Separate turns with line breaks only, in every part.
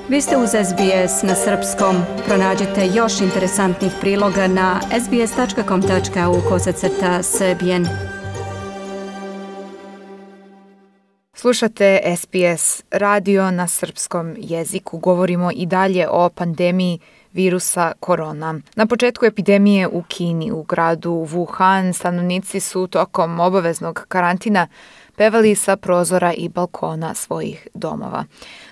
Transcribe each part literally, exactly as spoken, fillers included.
Vi ste uz S B S na srpskom. Pronađite još interesantnih priloga na sbs tačka com tačka au kosacrta srbijen.
Slušate S B S radio na srpskom jeziku. Govorimo i dalje o pandemiji virusa korona. Na početku epidemije u Kini, u gradu Wuhan, stanovnici su tokom obaveznog karantina pevali sa prozora i balkona svojih domova.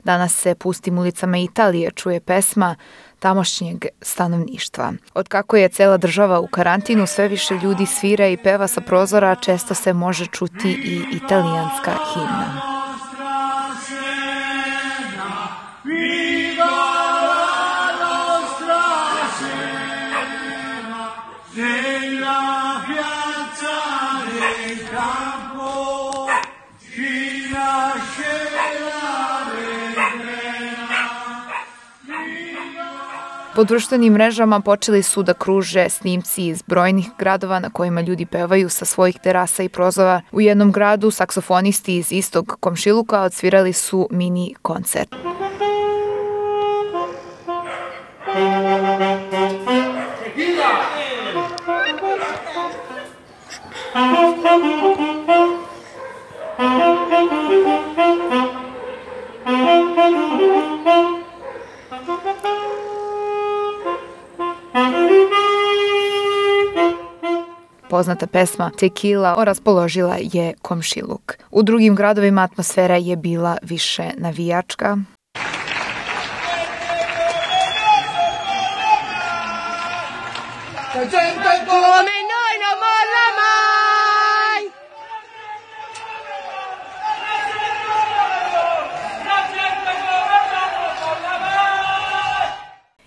Danas se pustim ulicama Italije čuje pesma tamošnjeg stanovništva. Otkako je cela država u karantinu, sve više ljudi svira i peva sa prozora, često se može čuti i italijanska himna. Po društvenim mrežama počeli su da kruže snimci iz brojnih gradova na kojima ljudi pevaju sa svojih terasa i prozora. U jednom gradu saksofonisti iz istog komšiluka odsvirali su mini koncert. Poznata pesma Tequila raspoložila je komšiluk. U drugim gradovima atmosfera je bila više navijačka.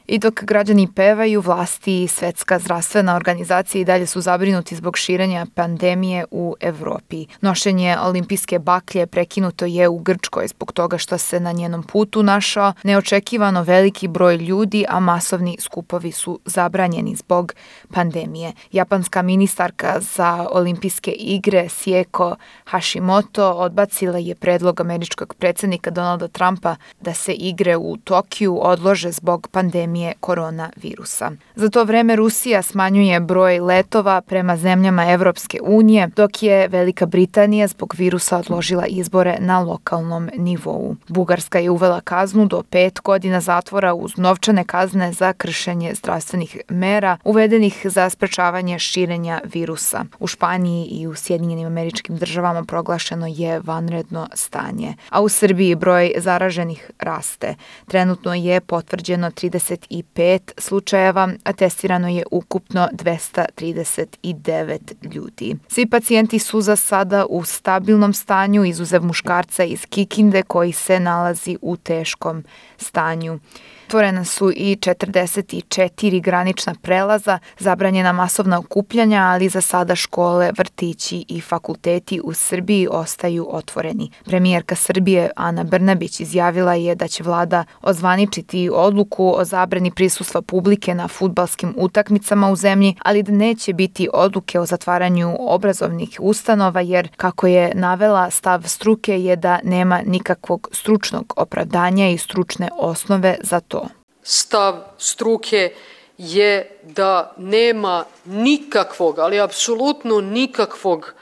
I dok građani pevaju, vlasti i Svetska zdravstvena organizacija i dalje su zabrinuti zbog širenja pandemije u Evropi. Nošenje olimpijske baklje prekinuto je u Grčkoj zbog toga što se na njenom putu našao neočekivano veliki broj ljudi, a masovni skupovi su zabranjeni zbog pandemije. Japanska ministarka za olimpijske igre Sieko Hashimoto odbacila je predlog američkog predsjednika Donalda Trumpa da se igre u Tokiju odlože zbog pandemije koronavirusa. Za to vreme Rusija smanjuje broj letova prema zemljama Evropske unije, dok je Velika Britanija zbog virusa odložila izbore na lokalnom nivou. Bugarska je uvela kaznu do pet godina zatvora uz novčane kazne za kršenje zdravstvenih mera uvedenih za sprečavanje širenja virusa. U Španiji i u Sjedinjenim Američkim Državama proglašeno je vanredno stanje, a u Srbiji broj zaraženih raste. Trenutno je potvrđeno trideset pet slučajeva, a testirano je ukupno dvesta trideset devet ljudi. Svi pacijenti su za sada u stabilnom stanju, izuzev muškarca iz Kikinde koji se nalazi u teškom stanju. Otvorena su i četrdeset četiri granična prelaza, zabranjena masovna okupljanja, ali za sada škole, vrtići i fakulteti u Srbiji ostaju otvoreni. Premijerka Srbije Ana Brnabić izjavila je da će vlada ozvaničiti odluku o zabrani prisustva publike na fudbalskim utakmicama u zemlji, ali da neće biti odluke o zatvaranju obrazovnih ustanova, jer, kako je navela, stav struke je da nema nikakvog stručnog opravdanja i stručne osnove za to.
Stav struke je da nema nikakvog, ali apsolutno nikakvog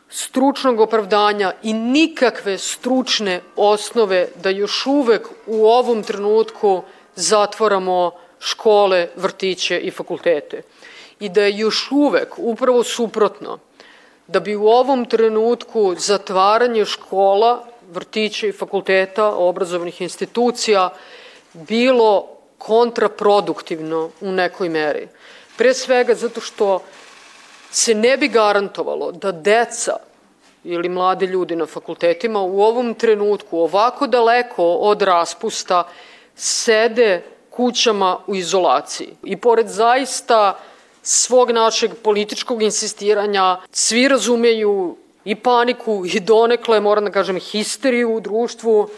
stručnog opravdanja i nikakve stručne osnove da još uvek u ovom trenutku zatvaramo škole, vrtiće i fakultete. I da je još uvek upravo suprotno, da bi u ovom trenutku zatvaranje škola, vrtića i fakulteta, obrazovnih institucija bilo kontraproduktivno u nekoj meri. Pre svega zato što se ne bi garantovalo da deca ili mladi ljudi na fakultetima u ovom trenutku ovako daleko od raspusta sede kućama u izolaciji. I pored zaista svog našeg političkog insistiranja, svi razumeju i paniku i donekle, moram da kažem, histeriju u društvu.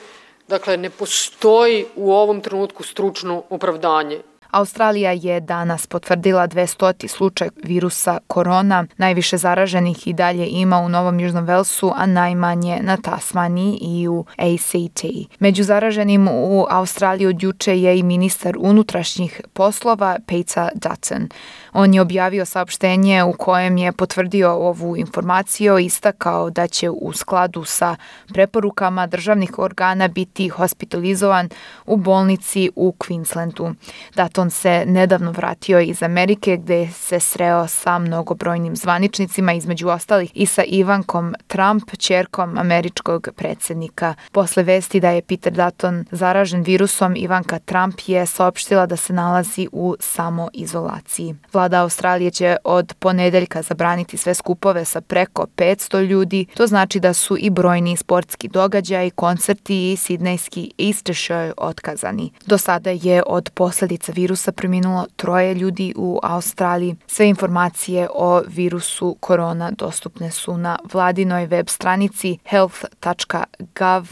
Dakle, ne postoji u ovom trenutku stručno opravdanje.
Australija je danas potvrdila dvestoti slučaj virusa korona. Najviše zaraženih i dalje ima u Novom Južnom Velsu, a najmanje na Tasmaniji i u A C T. Među zaraženim u Australiji od juče je i ministar unutrašnjih poslova Peter Dutton. On je objavio saopštenje u kojem je potvrdio ovu informaciju i istakao da će u skladu sa preporukama državnih organa biti hospitalizovan u bolnici u Queenslandu. Dutton se nedavno vratio iz Amerike gde se sreo sa mnogobrojnim zvaničnicima, između ostalih i sa Ivankom Trump, ćerkom američkog predsjednika. Posle vesti da je Peter Dutton zaražen virusom, Ivanka Trump je saopštila da se nalazi u samoizolaciji. Vlada Australije će od ponedeljka zabraniti sve skupove sa preko petsto ljudi. To znači da su i brojni sportski događaji, koncerti i sidnejski Easter show otkazani. Do sada je od posljedica virusa preminulo troje ljudi u Australiji. Sve informacije o virusu korona dostupne su na vladinoj web stranici health tačka gov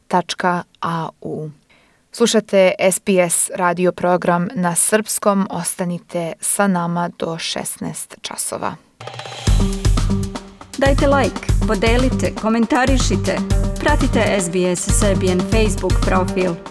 tačka a u. Slušate S B S radio program na srpskom. Ostanite sa nama do šesnaest časova.
Dajte like, podelite, komentarišite. Pratite S B S Serbian Facebook profil.